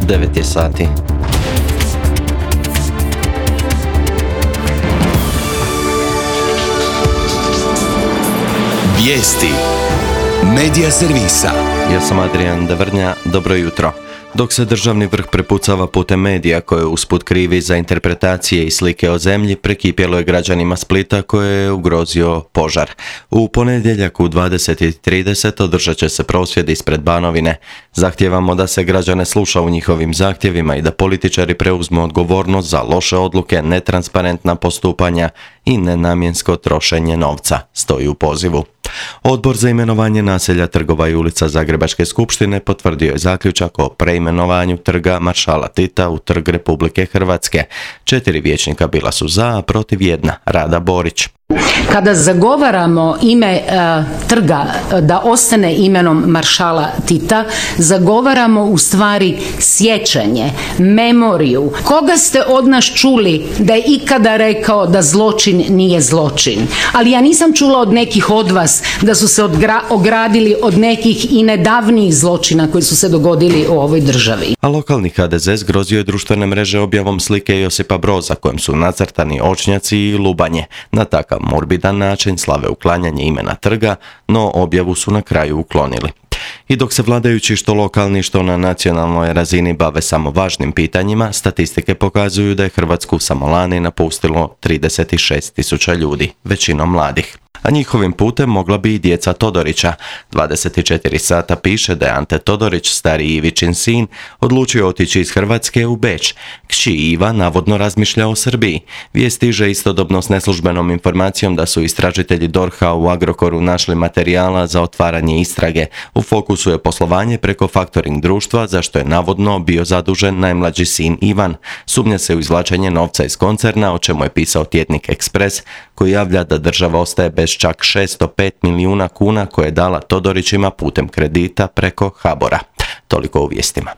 9 je sati. Vijesti Medija servisa. Ja sam Adrian Devrnja, dobro jutro. Dok se državni vrh prepucava putem medija koje usput krivi za interpretacije i slike o zemlji, prekipjelo je građanima Splita koje je ugrozio požar. U ponedjeljak u 20:30 održat će se prosvjed ispred Banovine. Zahtijevamo da se građane sluša u njihovim zahtjevima i da političari preuzmu odgovornost za loše odluke, netransparentna postupanja i nenamjensko trošenje novca, stoji u pozivu. Odbor za imenovanje naselja, trgova i ulica Zagrebačke skupštine potvrdio je zaključak o preimenovanju trga Maršala Tita u Trg Republike Hrvatske. 4 vijećnika bila su za, a protiv 1, Rada Borić. Kada zagovaramo ime trga da ostane imenom Maršala Tita, zagovaramo u stvari sjećanje, memoriju. Koga ste od nas čuli da je ikada rekao da zločin nije zločin? Ali ja nisam čula od nekih od vas da su se ogradili od nekih i nedavnijih zločina koji su se dogodili u ovoj državi. A lokalni HDZ zgrozio je društvene mreže objavom slike Josipa Broza kojem su nacrtani očnjaci i lubanje. Na takav morbidan način slave uklanjanje imena trga, no objavu su na kraju uklonili. I dok se vladajući što lokalni što na nacionalnoj razini bave samo važnim pitanjima, statistike pokazuju da je Hrvatsku samo lani napustilo 36.000 ljudi, većinom mladih. A njihovim putem mogla bi i djeca Todorića. 24 sata piše da je Ante Todorić, stariji Ivićin sin, odlučio otići iz Hrvatske u Beč. Kći Iva navodno razmišlja o Srbiji. Vijest stiže istodobno s neslužbenom informacijom da su istražitelji DORH-a u Agrokoru našli materijala za otvaranje istrage. U fokusu je poslovanje preko faktoring društva, za što je navodno bio zadužen najmlađi sin Ivan. Sumnja se u izvlačenje novca iz koncerna, o čemu je pisao tjednik Ekspres, koji javlja da država ostaje bez čak 605 milijuna kuna koje je dala Todorićima putem kredita preko HBOR-a. Toliko u vijestima.